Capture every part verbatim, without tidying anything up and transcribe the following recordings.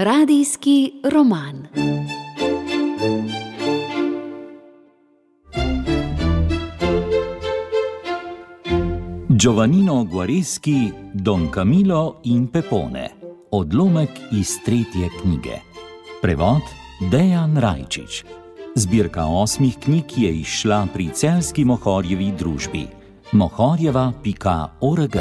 Radijski roman. Giovannino Guareschi, Don Camillo in Pepone. Odlomek iz tretje knjige. Prevod Dejan Rajčič. Zbirka osmih knjig je izšla pri Celjski Mohorjevi družbi. mohorjeva pika org.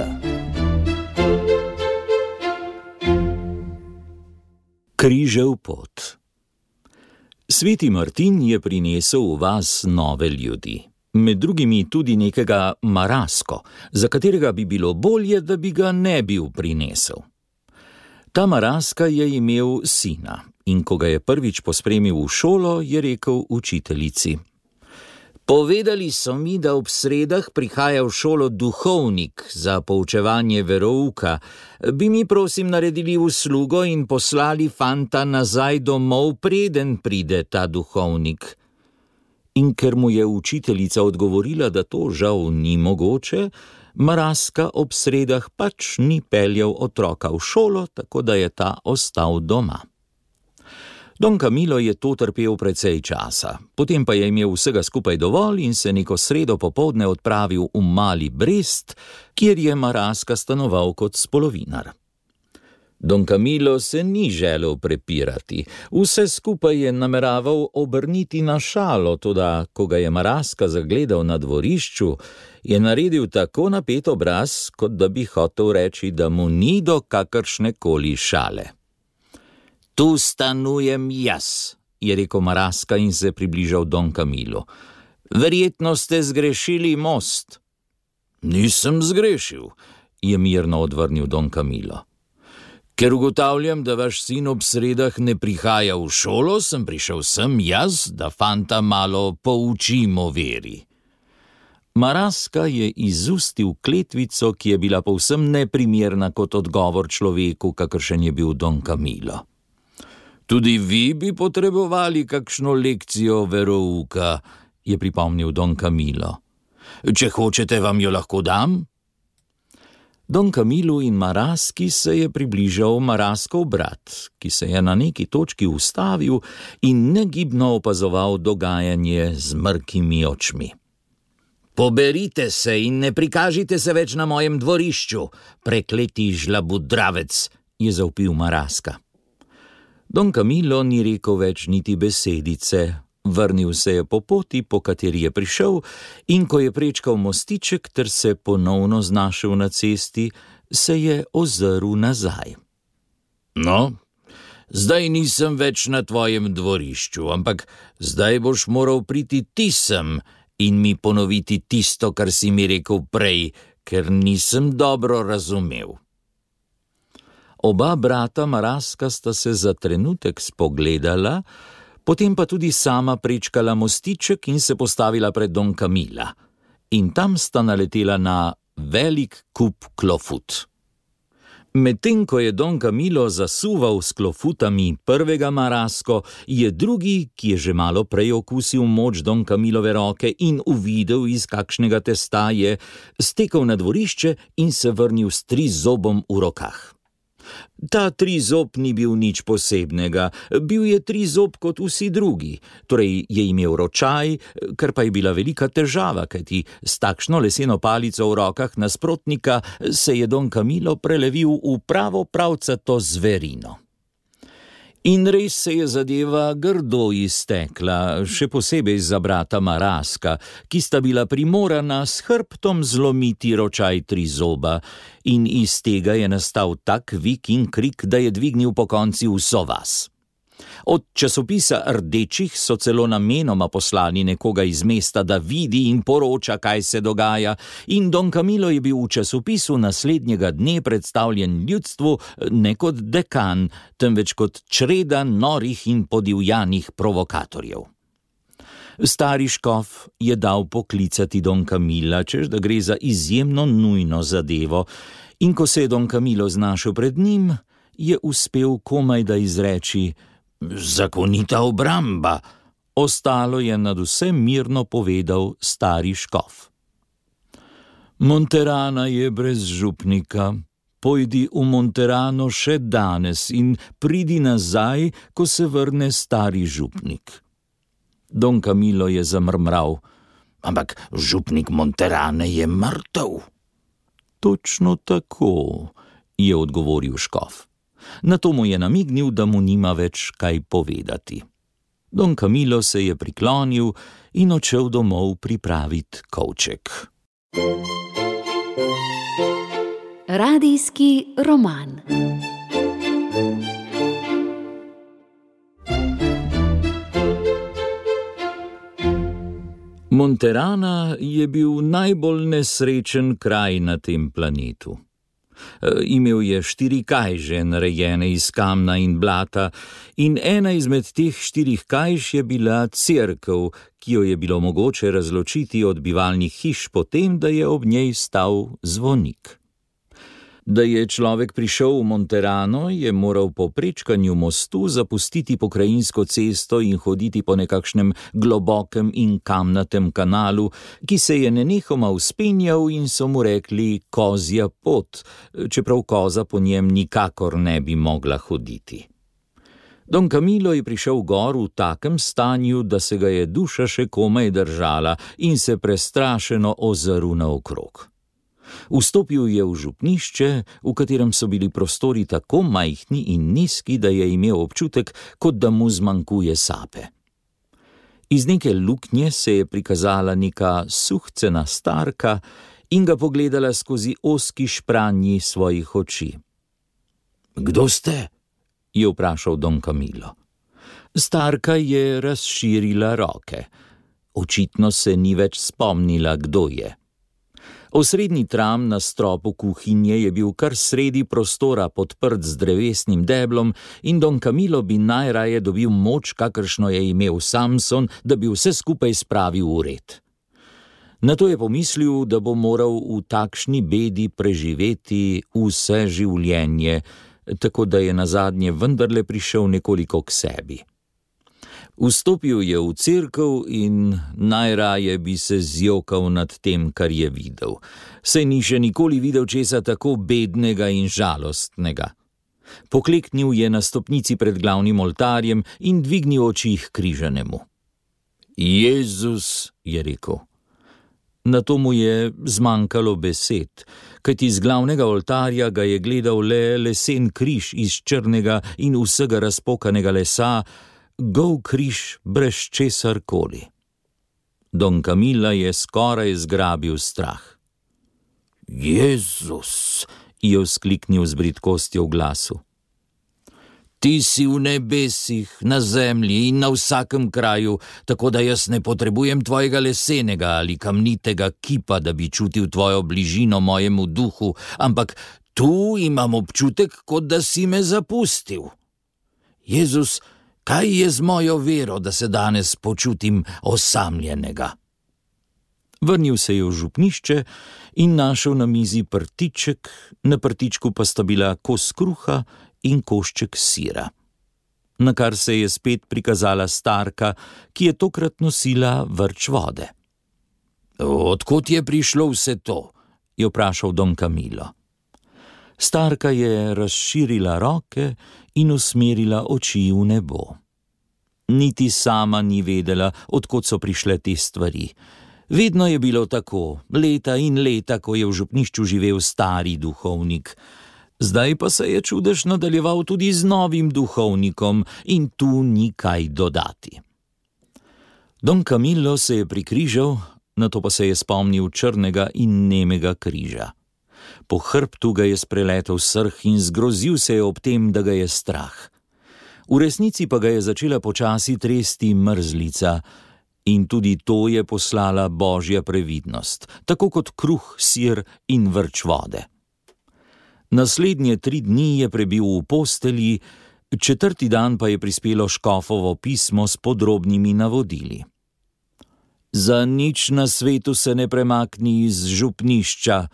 Križev pot. Sveti Martin je prinesel v vas nove ljudi. Med drugimi tudi nekega Marasko, za katerega bi bilo bolje, da bi ga ne bil prinesel. Ta Maraska je imel sina in ko ga je prvič pospremil v šolo, je rekel učiteljici: Povedali so mi, da ob sredah prihaja v šolo duhovnik za poučevanje verouka. Bi mi prosim naredili uslugo in poslali fanta nazaj domov, preden pride ta duhovnik. In ker mu je učiteljica odgovorila, da to žal ni mogoče, Maraska ob sredah pač ni peljal otroka v šolo, tako da je ta ostal doma. Don Camillo je to trpel precej časa, potem pa je imel vsega skupaj dovolj in se neko sredo popoldne odpravil v mali Brest, kjer je Maraska stanoval kot spolovinar. Don Camillo se ni želel prepirati, vse skupaj je nameraval obrniti na šalo, toda ko ga je Maraska zagledal na dvorišču, je naredil tako napet obraz, kot da bi hotel reči, da mu ni do kakršne koli šale. Tu stanujem jaz, je rekel Maraska in se približal Don Camillo. Verjetno ste zgrešili most. Nisem zgrešil, je mirno odvrnil Don Camillo. Ker ugotavljam, da vaš sin ob sredah ne prihaja v šolo, sem prišel sem jaz, da fanta malo poučim o veri. Maraska je izustil kletvico, ki je bila povsem neprimerna kot odgovor človeku, kakršen je bil Don Camillo. Tudi vi bi potrebovali kakšno lekcijo verouka, je pripomnil Don Camillo. Če hočete, vam jo lahko dam? Don Camillo in Maraski se je približal Maraskov brat, ki se je na neki točki ustavil in negibno opazoval dogajanje z mrkimi očmi. Poberite se in ne prikažite se več na mojem dvorišču, prekleti žlabudravec, je zavpil Maraska. Don Camillo ni rekel več niti besedice, vrnil se je po poti, po kateri je prišel, in ko je prečkal mostiček ter se ponovno znašel na cesti, se je ozrl nazaj. No, zdaj nisem več na tvojem dvorišču, ampak zdaj boš moral priti ti sem in mi ponoviti tisto, kar si mi rekel prej, ker nisem dobro razumel. Oba brata Maraska sta se za trenutek spogledala, potem pa tudi sama prečkala mostiček in se postavila pred Don Camilla. In tam sta naletela na velik kup klofut. Medtem ko je Don Camillo zasuval s klofutami prvega Marasko, je drugi, ki je že malo prej okusil moč Don Camillove roke in uvidel, iz kakšnega testa je, stekel na dvorišče in se vrnil s trizobom v rokah. Ta trizob ni bil nič posebnega, bil je trizob kot vsi drugi, torej je imel ročaj, kar pa je bila velika težava, kajti s takšno leseno palico v rokah nasprotnika se je Don Camillo prelevil v pravo pravcato zverino. In res se je zadeva grdo iztekla, še posebej za brata Maraska, ki sta bila primorana s hrbtom zlomiti ročaj trizoba, in iz tega je nastal tak vik in krik, da je dvignil pokonci vso vas. Od časopisa Rdečih so celo namenoma poslali nekoga iz mesta, da vidi in poroča, kaj se dogaja, in Don Camillo je bil v časopisu naslednjega dne predstavljen ljudstvu ne kot dekan, temveč kot čreda norih in podivjanih provokatorjev. Stari škof je dal poklicati Don Camilla, češ da gre za izjemno nujno zadevo, in ko se je Don Camillo znašel pred njim, je uspel komaj da izreči: Zakonita obramba. Ostalo je nadvse mirno povedal stari škof. Monterana je brez župnika, pojdi v Monterano še danes in pridi nazaj, ko se vrne stari župnik. Don Camillo je zamrmral: Ampak župnik Monterane je mrtev. Točno tako, je odgovoril škof. Nato mu je namignil, da mu nima več kaj povedati. Don Camillo se je priklonil in odšel domov pripraviti kovček. Radijski roman. Monterana je bil najbolj nesrečen kraj na tem planetu. E, imel je štiri kajže, narejene iz kamna in blata, in ena izmed teh štirih kajž je bila cerkev, ki jo je bilo mogoče razločiti od bivalnih hiš potem, da je ob njej stal zvonik. Da je človek prišel v Monterano, je moral po prečkanju mostu zapustiti pokrajinsko cesto in hoditi po nekakšnem globokem in kamnatem kanalu, ki se je nenehoma vzpenjal in so mu rekli kozja pot, čeprav koza po njem nikakor ne bi mogla hoditi. Don Camillo je prišel gor v takem stanju, da se ga je duša še komaj držala in se prestrašeno ozrl naokrog. Vstopil je v župnišče, v katerem so bili prostori tako majhni in nizki, da je imel občutek, kot da mu zmanjkuje sape. Iz neke luknje se je prikazala neka suhcena starka in ga pogledala skozi ozki špranji svojih oči. Kdo ste? Je vprašal Don Camillo. Starka je razširila roke. Očitno se ni več spomnila, kdo je. Osrednji tram na stropu kuhinje je bil kar sredi prostora podprt z drevesnim deblom in Don Camillo bi najraje dobil moč, kakršno je imel Samson, da bi vse skupaj spravil v red. Nato je pomislil, da bo moral v takšni bedi preživeti vse življenje, tako da je nazadnje vendarle prišel nekoliko k sebi. Vstopil je v cerkev in najraje bi se zjokal nad tem, kar je videl. Saj ni še nikoli videl česa tako bednega in žalostnega. Pokleknil je na stopnici pred glavnim oltarjem in dvignil oči k križanemu. Jezus, je rekel. Nato mu je zmanjkalo besed, kajti z glavnega oltarja ga je gledal le lesen križ iz črnega in vsega razpokanega lesa, gol križ brez česar koli. Don Camilla je skoraj zgrabil strah. Jezus, je vzkliknil z bridkostjo v glasu. Ti si v nebesih, na zemlji in na vsakem kraju, tako da jaz ne potrebujem tvojega lesenega ali kamnitega kipa, da bi čutil tvojo bližino mojemu duhu, ampak tu imam občutek, kot da si me zapustil. Jezus, kaj je z mojo vero, da se danes počutim osamljenega? Vrnil se je v župnišče in našel na mizi prtiček, na prtičku pa sta bila kos kruha in košček sira. Nakar se je spet prikazala starka, ki je tokrat nosila vrč vode. Odkot je prišlo vse to? Je vprašal Don Camillo. Starka je razširila roke in usmerila oči v nebo. Niti sama ni vedela, odkot so prišle te stvari. Vedno je bilo tako, leta in leta, ko je v župnišču živel stari duhovnik. Zdaj pa se je čudež nadaljeval tudi z novim duhovnikom in tu ni kaj dodati. Don Camillo se je prikrižal, nato pa se je spomnil črnega in nemega križa. Po hrbtu ga je spreletel srh in zgrozil se je ob tem, da ga je strah. V resnici pa ga je začela počasi tresti mrzlica in tudi to je poslala božja previdnost, tako kot kruh, sir in vrč vode. Naslednje tri dni je prebil v postelji, četrti dan pa je prispelo škofovo pismo s podrobnimi navodili. Za nič na svetu se ne premakni iz župnišča,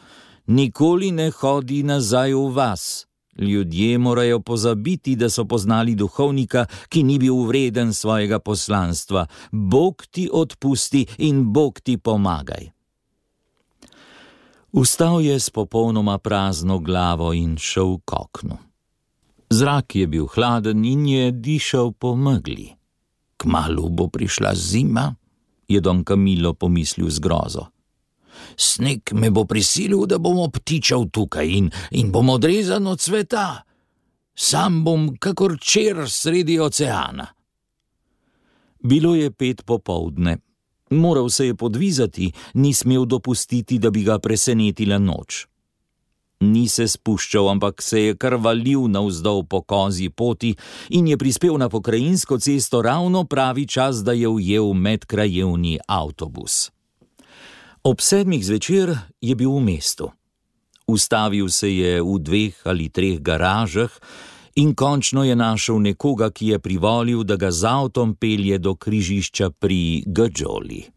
nikoli ne hodi nazaj v vas. Ljudje morajo pozabiti, da so poznali duhovnika, ki ni bil vreden svojega poslanstva. Bog ti odpusti in Bog ti pomagaj. Vstal je s popolnoma prazno glavo in šel k oknu. Zrak je bil hladen in je dišal po megli. Kmalu bo prišla zima, je Don Camillo pomislil z grozo. Sneg me bo prisilil, da bom obtičal tukaj in, in bom odrezan od sveta. Sam bom kakor čer sredi oceana. Bilo je pet popoldne. Moral se je podvizati, ni smel dopustiti, da bi ga presenetila noč. Ni se spuščal, ampak se je kar valil navzdol po kozji poti in je prispel na pokrajinsko cesto ravno pravi čas, da je ujel medkrajevni avtobus. Ob sedmih zvečer je bil v mestu. Ustavil se je v dveh ali treh garažah in končno je našel nekoga, ki je privolil, da ga z avtom pelje do križišča pri Gajoli.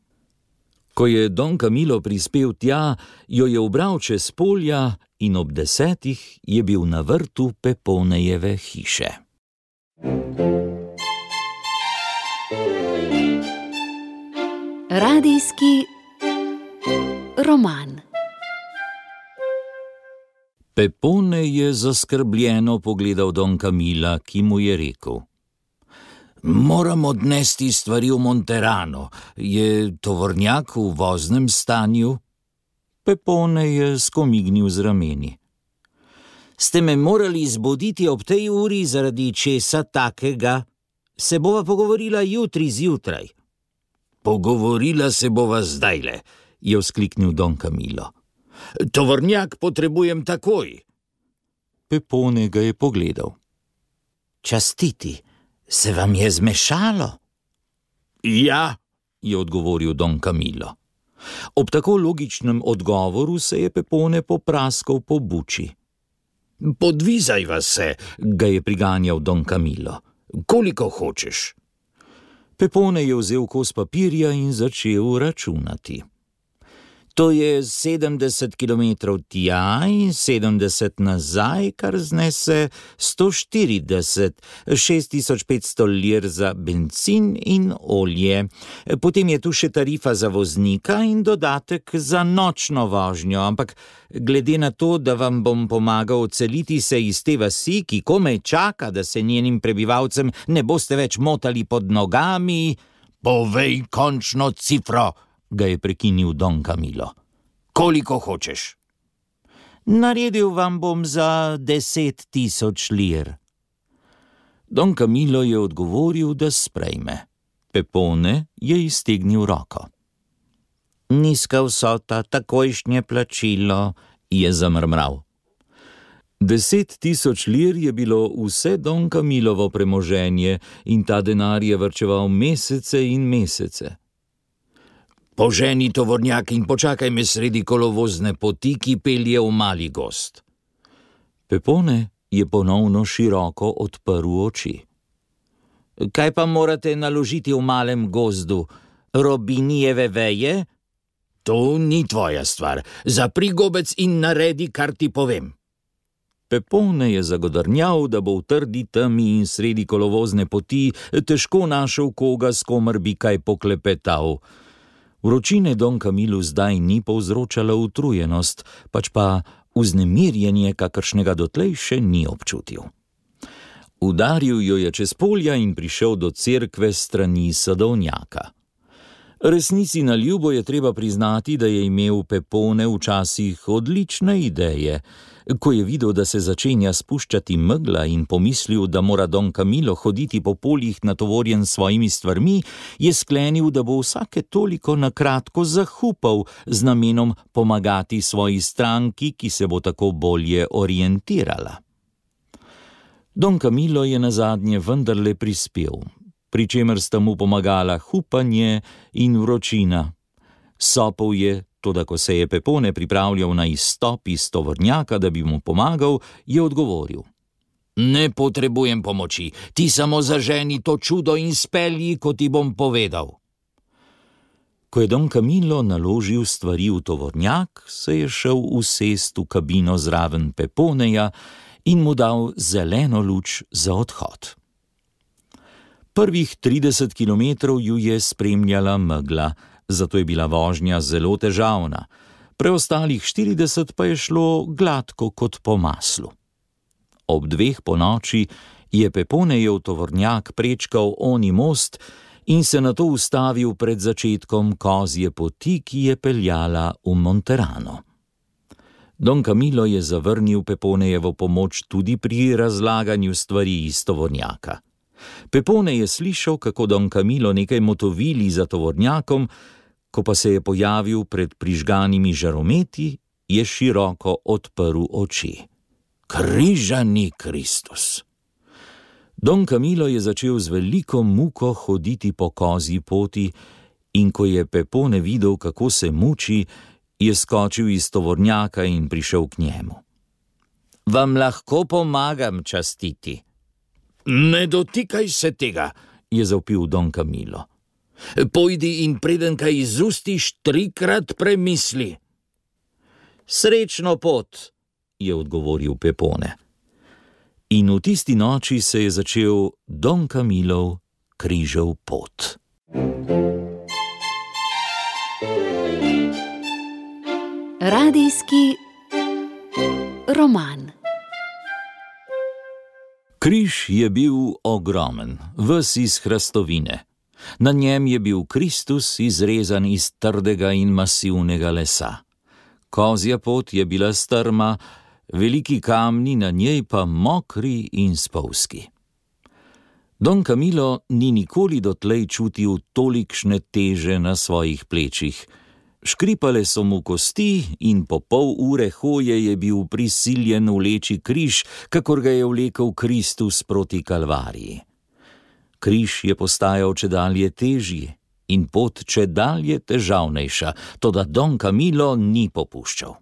Ko je Don Camillo prispel tja, jo je ubral čez polja in ob desetih je bil na vrtu Peponejeve hiše. Radijski roman. Pepone je zaskrbljeno pogledal Don Camilla, ki mu je rekel: Moram odnesti stvari v Monterano. Je tovornjak v voznem stanju? Pepone je skomignil z rameni. Ste me morali zbuditi ob tej uri zaradi česa takega? Se bova pogovorila jutri zjutraj. Pogovorila se bova zdajle, je vzkliknil Don Camillo. Tovornjak potrebujem takoj. Pepone ga je pogledal. Častiti, se vam je zmešalo? Ja, je odgovoril Don Camillo. Ob tako logičnem odgovoru se je Pepone popraskal po buči. Podvizajva se, ga je priganjal Don Camillo. Koliko hočeš? Pepone je vzel kos papirja in začel računati. To je sedemdeset kilometrov tja in sedemdeset nazaj, kar znese sto štirideset, šest tisoč petsto lir za bencin in olje. Potem je tu še tarifa za voznika in dodatek za nočno vožnjo, ampak glede na to, da vam bom pomagal odseliti se iz te vasi, ki komaj čaka, da se njenim prebivalcem ne boste več motali pod nogami... Povej končno cifro, ga je prekinil Don Camillo. Koliko hočeš? Naredil vam bom za deset tisoč lir. Don Camillo je odgovoril, da sprejme. Pepone je iztegnil roko. Nizka vsota, takojšnje plačilo, je zamrmral. Deset tisoč lir je bilo vse Don Camillovo premoženje in ta denar je varčeval mesece in mesece. Poženi tovornjak in počakaj me sredi kolovozne poti, ki pelje v mali gozd. Pepone je ponovno široko odprl oči. Kaj pa morate naložiti v malem gozdu? Robinijeve veje? To ni tvoja stvar. Zapri gobec in naredi, kar ti povem. Pepone je zagodrnjal, da bo v trdi temi in sredi kolovozne poti težko našel koga, s komer bi kaj poklepetal. Vročine Don Camillu zdaj ni povzročala utrujenost, pač pa vznemirjenje, kakršnega dotlej še ni občutil. Udaril jo je čez polja in prišel do cerkve strani sadovnjaka. Resnici na ljubo je treba priznati, da je imel Pepone včasih odlične ideje. Ko je videl, da se začenja spuščati megla in pomislil, da mora Don Camillo hoditi po poljih natovorjen s svojimi stvarmi, je sklenil, da bo vsake toliko na kratko zahupal z namenom pomagati svoji stranki, ki se bo tako bolje orientirala. Don Camillo je nazadnje vendarle prispel, pri čemer sta mu pomagala hupanje in vročina. Sopel je, toda ko se je Pepone pripravljal na izstop iz tovornjaka, da bi mu pomagal, je odgovoril. Ne potrebujem pomoči, ti samo zaženi to čudo in spelji, ko ti bom povedal. Ko je Don Camillo naložil stvari v tovornjak, se je šel usest v kabino zraven Peponeja in mu dal zeleno luč za odhod. Prvih trideset kilometrov ju je spremljala megla, zato je bila vožnja zelo težavna. preostalih štirideset pa je šlo gladko kot po maslu. Ob dveh ponoči je Peponejev tovornjak prečkal oni most in se nato ustavil pred začetkom kozje poti, ki je peljala v Monterano. Don Camillo je zavrnil Peponejevo pomoč tudi pri razlaganju stvari iz tovornjaka. Pepone je slišal, kako Don Camillo nekaj motovili za tovornjakom, ko pa se je pojavil pred prižganimi žarometi, je široko odprl oči. Križani Kristus! Don Camillo je začel z veliko muko hoditi po kozji poti in ko je Pepone videl, kako se muči, je skočil iz tovornjaka in prišel k njemu. Vam lahko pomagam častiti? Ne dotikaj se tega, je zavpil Don Camillo. Pojdi in preden kaj izustiš, trikrat premisli. Srečno pot, je odgovoril Pepone. In v tisti noči se je začel Don Camillov križev pot. Radijski roman. Križ je bil ogromen, ves iz hrastovine. Na njem je bil Kristus izrezan iz trdega in masivnega lesa. Kozja pot je bila strma, veliki kamni na njej pa mokri in spolzki. Don Camillo ni nikoli dotlej čutil tolikšne teže na svojih plečih. Škripale so mu kosti in po pol ure hoje je bil prisiljen vleči križ, kakor ga je vlekel Kristus proti Kalvariji. Križ je postajal čedalje težji in pot čedalje težavnejša, toda Don Camillo ni popuščal.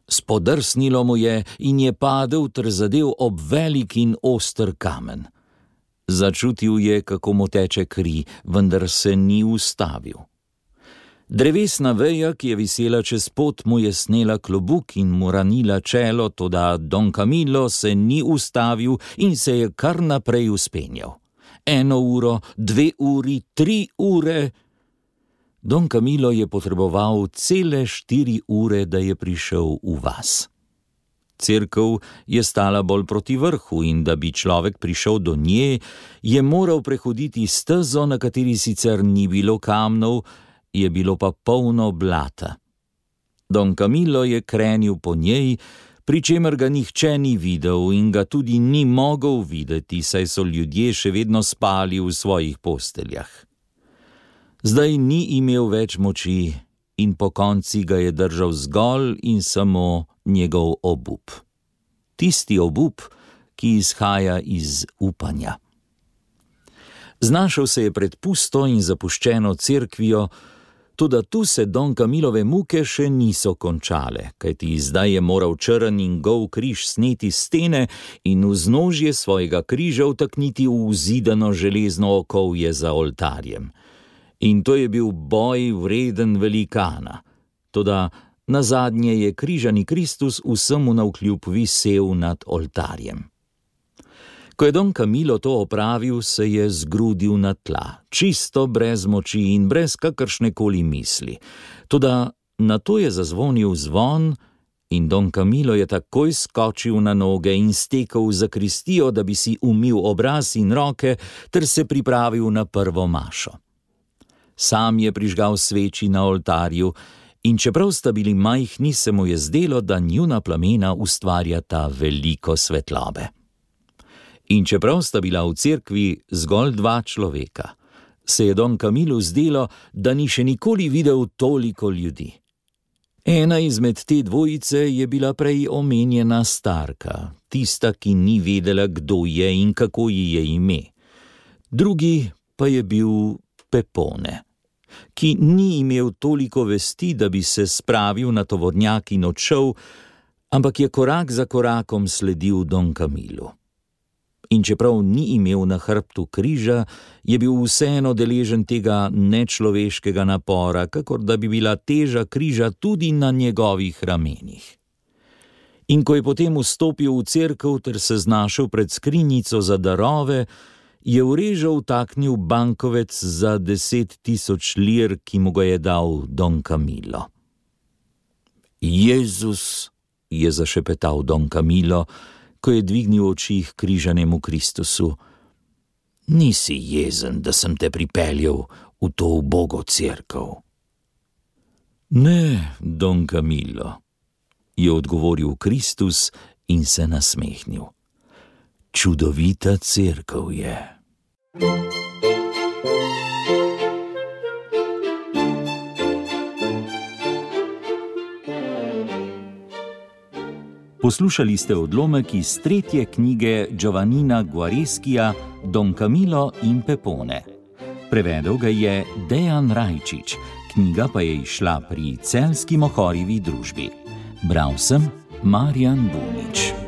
Spodrsnilo mu je in je padel ter zadel ob velik in oster kamen. Začutil je, kako mu teče kri, vendar se ni ustavil. Drevesna veja, ki je visela čez pot, mu je snela klobuk in mu ranila čelo, toda Don Camillo se ni ustavil in se je kar naprej vzpenjal. Eno uro, dve uri, tri ure. Don Camillo je potreboval cele štiri ure, da je prišel v vas. Cerkev je stala bolj proti vrhu in da bi človek prišel do nje, je moral prehoditi stezo, na kateri sicer ni bilo kamnov, je bilo pa polno blata. Don Camillo je krenil po njej, pri čemer ga nihče ni videl in ga tudi ni mogel videti, saj so ljudje še vedno spali v svojih posteljah. Zdaj ni imel več moči in po konci ga je držal zgolj in samo njegov obup. Tisti obup, ki izhaja iz upanja. Znašel se je pred pusto in zapuščeno cerkvijo, toda tu se Don Camillove muke še niso končale, kajti zdaj je moral črn in gol križ sneti stene in vznožje svojega križa vtakniti v zidano železno okovje za oltarjem. In to je bil boj vreden velikana, toda nazadnje je križani Kristus vsemu navkljub visel nad oltarjem. Ko je Don Camillo to opravil, se je zgrudil na tla, čisto brez moči in brez kakršnekoli misli. Toda nato je zazvonil zvon in Don Camillo je takoj skočil na noge in stekel v zakristijo, da bi si umil obraz in roke ter se pripravil na prvo mašo. Sam je prižgal sveči na oltarju in čeprav sta bili majhni, se mu je zdelo, da njuna plamena ustvarjata veliko svetlobe. In čeprav sta bila v cerkvi zgolj dva človeka, se je Don Camillu zdelo, da ni še nikoli videl toliko ljudi. Ena izmed te dvojice je bila prej omenjena starka, tista, ki ni vedela, kdo je in kako ji je ime. Drugi pa je bil Pepone, ki ni imel toliko vesti, da bi se spravil na tovornjak in odšel, ampak je korak za korakom sledil Don Camillu. In čeprav ni imel na hrbtu križa, je bil vseeno deležen tega nečloveškega napora, kakor da bi bila teža križa tudi na njegovih ramenih. In ko je potem vstopil v cerkev ter se znašel pred skrinjico za darove, je v režo vtaknil bankovec za deset tisoč lir, ki mu ga je dal Don Camillo. Jezus, je zašepetal Don Camillo, ko je dvignil oči k križanemu Kristusu. Nisi jezen, da sem te pripeljal v to ubogo cerkev. Ne, Don Camillo, je odgovoril Kristus in se nasmehnil. Čudovita cerkev je. Poslušali ste odlomek iz tretje knjige Giovannina Guareskija Don Camillo in Pepone. Prevedel ga je Dejan Rajčič, knjiga pa je izšla pri Celjski Mohorjevi družbi. Bral sem Marjan Bunič.